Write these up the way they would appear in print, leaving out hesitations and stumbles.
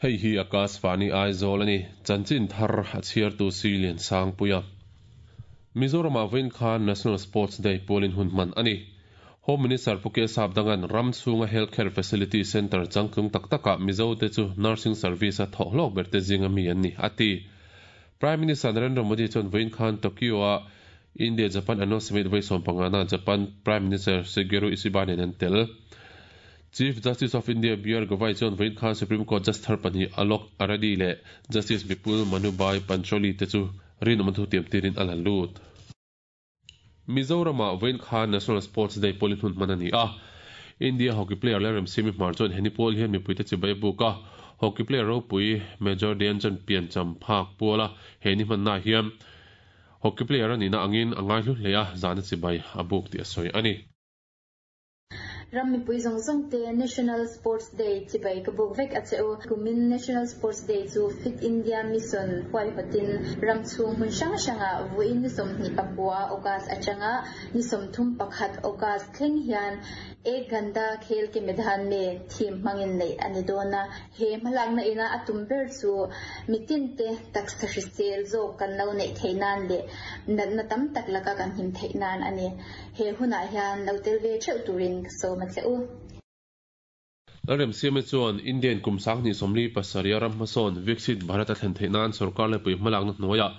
Hei hi Akashvani Aizawl a ni, chanchin thar a chhiartu Silian Sangpuia. Mizoramah vawiin khan National Sports Day pualin hun hman a ni. Home Minister Pu K Sapdanga'n ram chhunga Health Care Facility Centre changtlung tak takah Mizote chu nursing service-a thawh hlawk berte zinga mi an ni, a ti. Prime Minister Narendra Modi chuan vawiin khan Tokyo-a India-Japan Annual Summit vawi sawmpangana Japan Prime Minister Shigeru Ishiba nen an tel. Chief Justice of India BR Gavai chuan vawiin khan Supreme Court Judge thar pahnih Alok Aradi leh Justice Vipul Manubhai Pancholi te chu rinawm thu tiam tirin a la lut. Mizoramah vawiin khan National Sports Day pawlin hun hman a ni a. India hockey player Lalremsimi Hmar chuan heni pawl hian mipuite chibai a buk a. Hockey player ropui Major Dhyan pian cham phak puala he ni hmanna hian hockey player a nihna angin a ngaihlu hle a, zahna chibai a buk tih a sawi a ni. Ram mipui zawng zawng te National Sports Day chibai ka buk vek a che u. Kumin National Sports Day chu Fit India Mission huaihawtin ram chhung hmun hrang hrangah vawiin ni 29 August atanga ni 31 August thleng hian Ek Ghanta Khel Ke Medan Me theme hmangin neih a ni dawn a. He hmalakna ina a tum ber chu mitinte taksa hrisel zawk kan lo neih theih nan leh natna tam tak laka kan him theih nan a ni. He hunah hian lo tel ve theuh turin ka sawm a che u. Lalremsiame chuan Indian kum 2047 ram hmasawn Viksit Bharat a thlen theih nan sorkar lepui hmalakna hnuaiah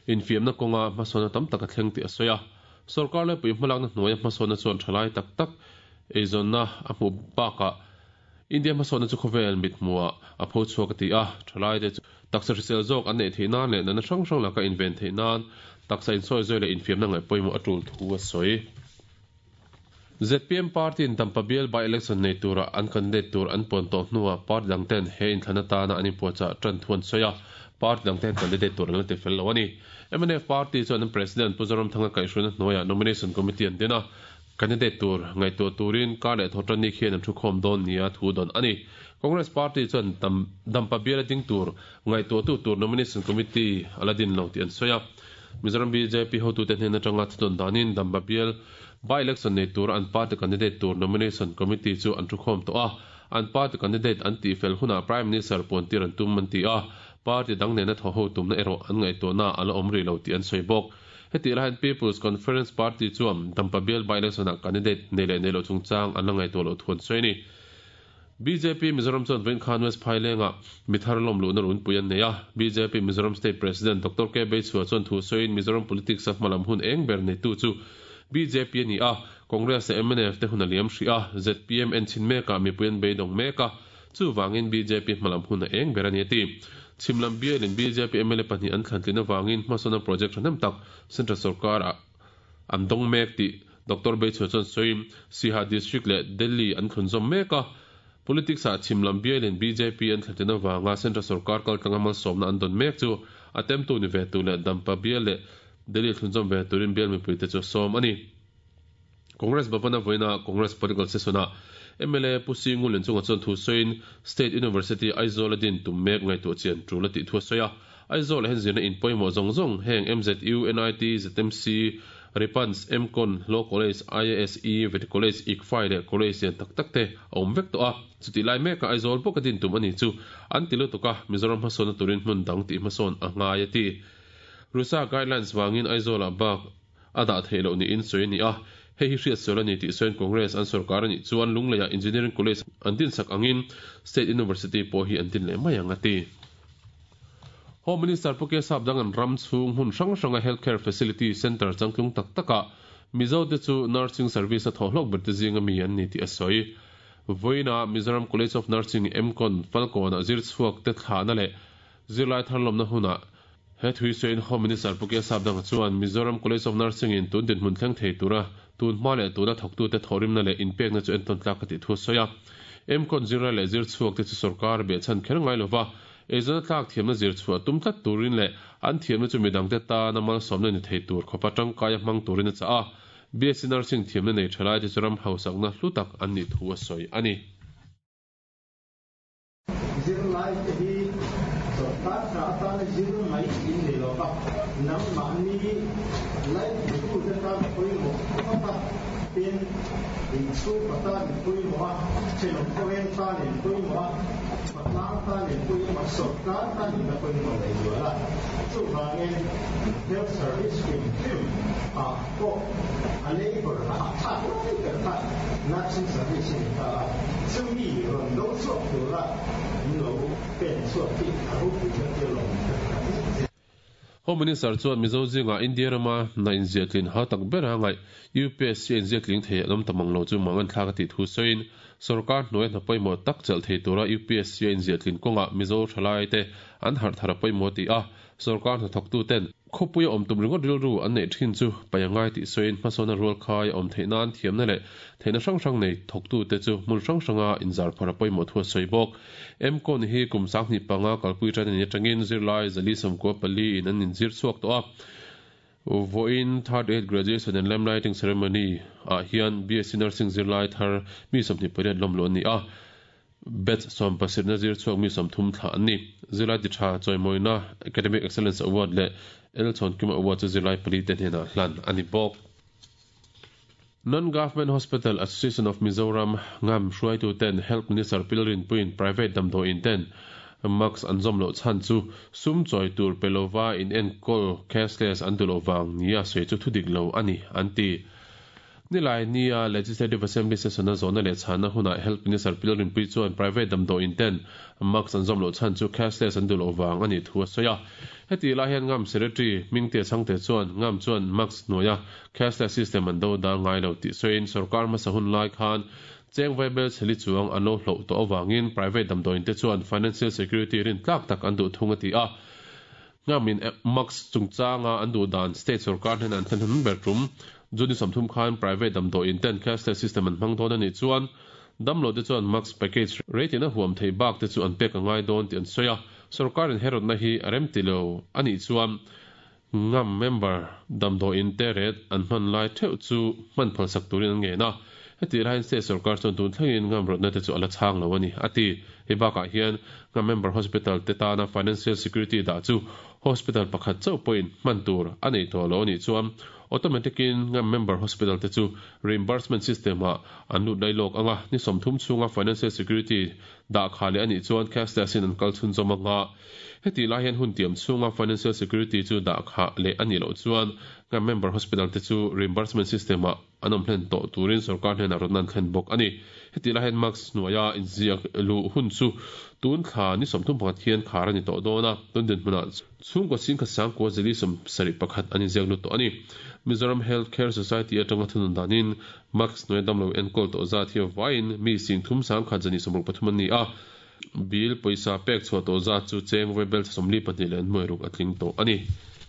infiamna kawnga hmasawnna tam tak a thleng tih a sawi a. Sorkar lepui hmalakna hnuaia hmasawnna chuan thalai tak tak eizawnna a hmuh bakah India hmasawnna chu khawvel mithmuhah a pho chhuak a ti a, thalaite chu taksa hrisel zawk an neih theih nan leh natna hrang hrang laka inven theih nan taksa insawi zawi leh infiamna ngaih pawimawh a tul thu a sawi. Zpm party-in Dampa bial by-election nei tura an candidate tur an puan tawh hnuah party dang ten he inthlan atana an inpuahchah tan thu an sawi a, party dang ten candidate tur an la ti fel lo a ni. Mnf party chuan an President Pu Zoramthanga kaihhruaina hnuaiah nomination committee an din a, Candidate tur ngaihtuah turin kar leh thawhtan ni khian an thukhawm dawn nia thu dawn a ni. Congress party chuan Dampa biala ding tur ngaihtuahtu tur nomination committee a la din lo tih an sawi a. Mizoram bjp hotute hnen atanga thu dawn danin Dampa bial by-election nei tura an party candidate tur nomination committee chu an thukhawm tawh a. An party candidate an tihfel hunah Prime Minister puantir an tum an ti a. Party dang nena thaw ho tumna erawh an ngaihtuahna a la awm rih lo tih an sawi bawk. Hetih lai hian People's Conference Party chuan Dampa bial by-election-ah candidate nei leh nei loh chungchang an la ngaihtuah loh thu an sawi a ni. Bjp Mizoram chuan vawiin khan West Phailengah mi thar lawm luhna runpui an nei a. Bjp Mizoram State President Doctor K Beichhua chuan thu sawiin Mizoram politics-a hmalam hun eng ber neitu chu bjp a ni a, Congress leh mnf te hun a liam hrih a, zpm en chhin mekah mipui an beidawng mek a, Chuvangin bjp hmalam hun a eng ber a ni a ti. Chhim lam bialin bjp mla pahnih an thlantlin avangin hmasawnna project thahnem tak Central sorkar ah an dawng mek tih Doctor Beichhua chuan sawiin Siha District leh Delhi an thlunzawm mek a. Politics ah chhim lam bialin bjp an thlantlin avanga Central sorkar kaltlanga malsawmna an dawn mek chu a temtu ni ve tur leh Dampa bial leh Delhi thlunzawm ve turin bial mipuite chu a sawm a ni. Congress Bhavan-a vawiina Congress Political Session-ah mla Pu Singu Lenchunga chuan thu sawiin State University Aizawl-a din tum mek ngaihtuah chian tul a tih thu a sawi a. Aizawl-ah hian zirna in pawimawh zawng zawng heng MZU, NIT, ZMC, Ripans, MCON, Law College, IASE, Vety College, ICFAI leh College lian tak tak te a awm vek tawh a. Chutih lai mekah Aizawl bawka din tum a ni chu an ti lutuk a, Mizoram hmasawnna turin hmun dang tih hmasawn a ngai a ti. RUSA guidelines vangin Aizawl-ah bak a dah theih loh niin sawi a ni a, hei hi hriatsual a ni tih sawiin Congress an sorkar a nih chuan Lungleiah Engineering College an dinsak angin State University pawh hi an din leh mai ang a ti. Home Minister Pu Kesap Dangan ram chhung hmun hrang hranga Healthcare Facility Centre changtlung tak takah Mizote chu Nursing Service a thawhhlawk berte zinga mi an ni tih a sawi. Vawiinah Mizoram College of Nursing, MCON, Falkawnah zir chhuak te thlahna leh Zirlai tharlawmna hunah he thui sawiin Home Minister Pu K Sapdanga chuan Mizoram College of Nursing in tun dinhmun thleng thei tura tun hma leh tuna thawktute thawhrimna leh inpekna chu entawn tlak a tih thu a sawi a. MCON zirlai leh zir chhuak te chu sorkar behchhan kher ngai lova eizawn a tlak thiamna zir chhuah tum tlat turin leh an thiamna chu midangte tana malsawmna ni thei tur khawpa tangkaia hmang turin a chah a. BSc Nursing thiamna nei thalaite chu ram hausakna hlu tak an nih thu a sawi a ni. Zirlaite hi sawrkar tha atana zir mai in ni lo va, nangmahni laitutute tan pawimawh khawp a. Tin, in chhungkaw tan in pawimawh a, thenawm khawveng tan in pawimawh a, khawtlang tan in pawimawh a, sawrkar tan in la pawimawh leh zual a. Chuvangin health service hrim hrim ah pawh a labour a hahthlak lai ber kha nursing service a ni ta a, chumi rawn do chhuak tura min lo pen chhuak hi a ropui ka tia lawm ka ti tak zet zet. Home Minister chuan Mizo zingah India rama hna inziatlin hau tak bera ngaih UPSC a inziatling thei an awm ta mang lo chu mangan thlak a tih thu sawiin sorkar hnuaia hna pawimawh tak chelh thei tura UPSC a inziatlin kawngah Mizo thalaite an harh thar a pawimawh a ti a, sorkar hnathawktuten khawpuia awm tum ringawt rilru an neih thin chu paih a ngai tih sawiin hmasawnna rual khai a awm theih nan thiamna leh theihna hrang hrang nei thawktute chu hmun hrang hranga inzar phar a pawimawh thu a sawi bawk. MCON hi kum 2005 kalpui tan a nih atangin zirlai 494 in an inzir chhuak tawh a. Vawiin Third Aid Graduation and Lamp Lighting Ceremony ah hian BSc Nursing zirlai thar mi 28 lawm luh an ni a. Batch 70 na zir chhuak mi 30 thlah an ni. Zirlai ti tha chawimawina Academic Excellence Award leh L Chhawnkima Award chu zirlai pali te hnenah hlan a ni bawk. Non-Government Hospital Association of Mizoram, ngam, hruaitu ten Health Minister Pilrin puiin private damdawiin ten mask an zawm loh chhan chu sum chawi tur pe lova inenkawl cashless an duh loh vang nia sawi chu thudik lo a ni, an ti. Nilai nia Legislative Assembly session a zawhna leh chhanna hunah Health Minister Pilrin Pui chuan private damdawiin ten mask an zawm loh chhan chu cashless an duh loh vang a nih thu a sawi a. Heti lai hian ngam Secretary Hmingtea Chhangte chuan ngam chuan mask hnuaia Cashless system an do dal ngai lo tih sawiin sorkar hmasa hun lai khan cheng vaibel chheli chuang an lo hloh tawh avangin private damdawiin te chuan financial security rin tlak tak an duh thung a ti a. Ngamin mask chungchanga an duh dan state sorkar hnenah an thlen hun ber tum. June 30 khan private damdawiin ten cashless system an hmang dawn a nih chuan damlo te chuan mask package rate in a huam thei bak te chu an pek a ngai dawn tih an sawi a. Sorkarin he rawtna hi a rem ti lo a nih chuan Ngam member damdawiin te ret an hman lai theuh chu hman phalsak turin an ngen a, heti laiin state sorkar chuan tun thlengin ngam rawtna te chu a la chhang lo a ni, a ti. Hei bakah hian ngam member hospital te tana financial security dah chu hospital pakhat chauh pawhin hman tur a nei tawh lo a nih chuan automatic in ngam member hospital te chu reimbursement system ah an lut lai lawk anga ni 30 chhunga financial security dah kha leh a nih chuan cashless in an kal chhunzawm anga. Heti lai hian hun tiam chhunga financial security chu dah khah leh a nih loh chuan kan member hospital te chu reimbursement system ah an awm hlen tawh turin sorkar hnenah rawtna an thlen bawk a ni. Heti lai hian mask hnuaia inziak luh hun chu tun thla ni 31 hian khar a ni tawh dawn a, tun dinhmunah chhungkaw singkhat sangkua zeli 71 an inziak lut tawh a ni. Mizoram Health Care Society atanga thunun danin mask hnuaia damlo enkawl tawh zat hi vaiin mi singthum sangkhat zani 63 an ni a, Bill pawisa pek chhuah tawh zat chu cheng vaibel 42 leh nuai ruk a tling tawh a ni.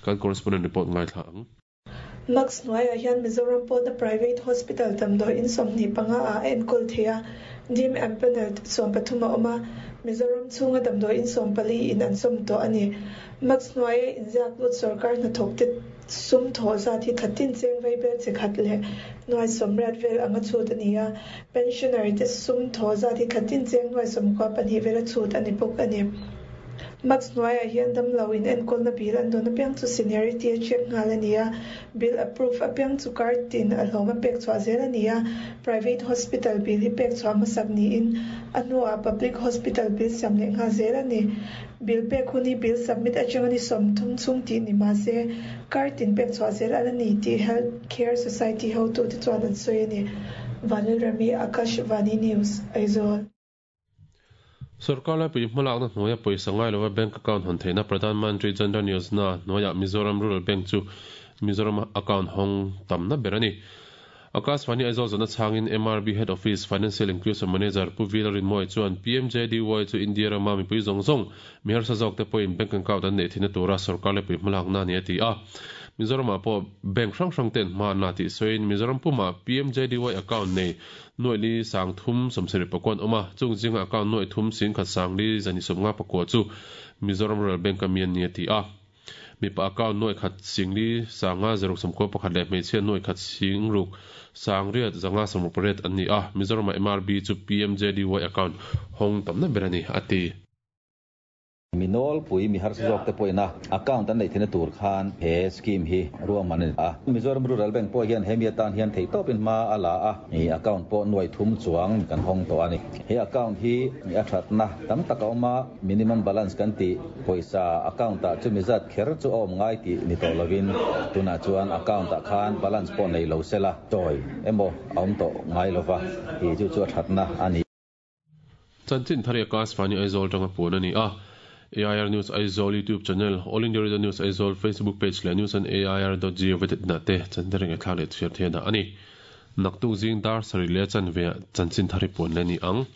Kan correspondent report ngaithla ang. Mask hnuaiah hian Mizoram pawna private hospital damdawiin 25 ah a enkawl thei a, dim empanelled 13 a awm a, Mizoram chhunga damdawiin 14 in an sawm tawh a ni. Mask hnuaia inziak lut sorkar hnathawkte sum thawh zat hi thla tin cheng vaibel chi khat leh nuai 80 vel anga chhut a ni a, pensioner te sum thawh zat hi thla tin cheng nuai 92 vel a chhut a ni bawk a ni. Mask hnuaiah hian damlo in enkawlna bill an dawn apiang chu seniority a check nghal a ni a, bill approve apiang chu card tin a hlawm a pek chhuah zel a ni a, private hospital bill hi pek chhuah hmasak niin a hnuah public hospital bill siam leh nghal zel a ni. Bill pek hun hi bill submit atanga ni 30 chhung tih ni mah se card tin pek chhuah zel ala ni tih Health Care Society hotute chuan an sawi a ni. Vanlalrami, Akashvani News, Aizawl. Sorkar laipui hmalakna hnuaia pawisa ngai lova bank account hawn theihna Pradhan Mantri Jan Dhan Yojana hnuaiah Mizoram Rural Bank chu Mizoram account hawng tamna ber a ni. Akashvani Aizawl zawhna chhangin MRB Head Office Financial Inclusion Manager Pu Vila Rinmawia chuan PMJDY chu India rama mipui zawng zawng mi harsa zawk te pawhin bank account an neih theihna tura sorkar laipui hmalakna a ni a ti a. Mizoramah pawh bank hrang hrang ten hma an la tih sawiin Mizoram pumah PMJDY account nei nuai li sang thum 70 pakua an awm a, chung zinga account nuai thum singkhat sang li zani 50 pakua chu Mizoram Rural Bank a mi an ni a ti a. Mipa account nuai khat sing li sanga zaruk sawmkua pakhat leh hmeichhia nuai khat sing ruk sang riat zanga sawmruk pariat an ni a, Mizoramah MRB chu PMJDY account hawng tamna ber a ni, a ti. Mi nawlpui, mi harsa zawk te pawhin a account an neih theihna tur khan he scheme hi ruahman a ni a. Mizoram Rural Bank pawh hian hemi atan hian theihtawpin hma a la a, account pawh nuai thum chuang kan hawng tawh a ni. He account hi a thatna tam tak a awm a, minimum balance kan tih pawisa account ah chumi zat kher chu a awm ngai tih ni tawh lovin tunah chuan account ah khan balance pawh nei lo sela chawi emaw a awm tawh ngai lova, tih chu chu a thatna a ni. Chanchin thar hi Akashvani Aizawl atanga puan a ni a. AIR News Aizawl YouTube channel, All India Radio News Aizawl Facebook page leh news on air dot gov dot in ah te chanchin thar ngaihthlak leh chhiar theih a dah a ni. Naktuk zing dar sarih leh chanve ah chanchin thar hi puan leh a ni ang.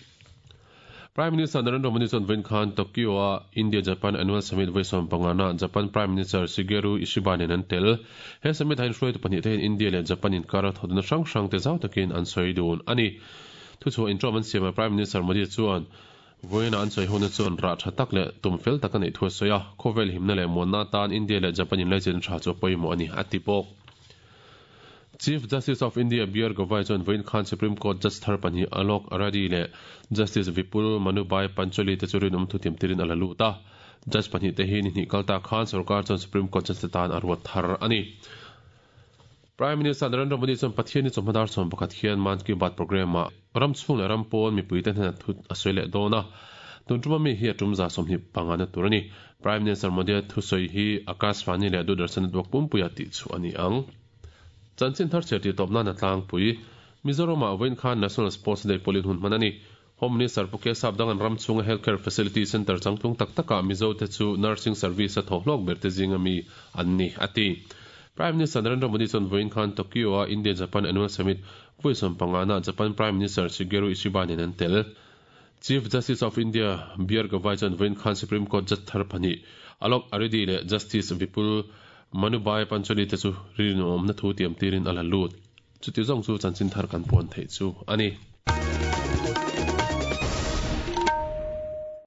Prime Minister Narendra Modi chuan vawiin khan Tokyo-a India-Japan Annual Summit vawi sawmpangana Japan Prime Minister Shigeru Ishiba nen an tel. He summit ah hian hruaitu pahnih te hian India leh Japan inkara thawhna hrang hrang te zau takin an sawi dun a ni. Thuchhuah intawm an siamah Prime Minister Modi chuan vawiinah an sawi hona chuan rah tha tak leh tum fel tak a neih thu a sawi a, khawvel himna leh muanna atan India leh Japan inlaichin tha chu a pawimawh a ni, a ti bawk. Chief Justice of India BR Gavai chuan vawiin khan Supreme Court Judge thar pahnih Alok Aradi leh Justice Vipul Manubhai Pancholi te chu rinawm thutiam tirin a la lut a. Judge pahnih te hi ni hnih kal ta khan sorkar chuan Supreme Court Judge te tan a ruat thar a ni. Prime Minister Narendra Modi chuan Pathianni chawhma dar 11 hian Mann Ki Baat programme-ah ram chhung leh ram pawn mipuite hnenah thu a sawi leh dawn a. Tun tuma mi hi a tum 25 na tur a ni. Prime Minister Modi-a thusawi hi Akashvani leh Doordarshan network pumpuia tih chhuah a ni ang. Chanchin thar chhiar tih tawp nan a tlangpui. Mizoram-ah vawiin khan National Sports Day pawlin hun hman a ni. Home Minister Pu Kesap Dangan ram chhunga Healthcare Facility Centre changtlung tak takah Mizote chu nursing service a thawhhlawk berte zinga mi an ni, a ti. Prime Minister Narendra Modi chuan vawiin khan Tokyo-a India-Japan Annual Summit vawi 15-ah Japan Prime Minister Shigeru Ishiba nen an tel. Chief Justice of India BR Gavai chuan vawiin khan Supreme Court judge thar pahnih Alok Aridi leh Justice Vipul Manubhai Pancholi te chu rinawmna thu tiam tirin a la lut. Chuti zawng chu chanchin thar kan puan theih chu a ni.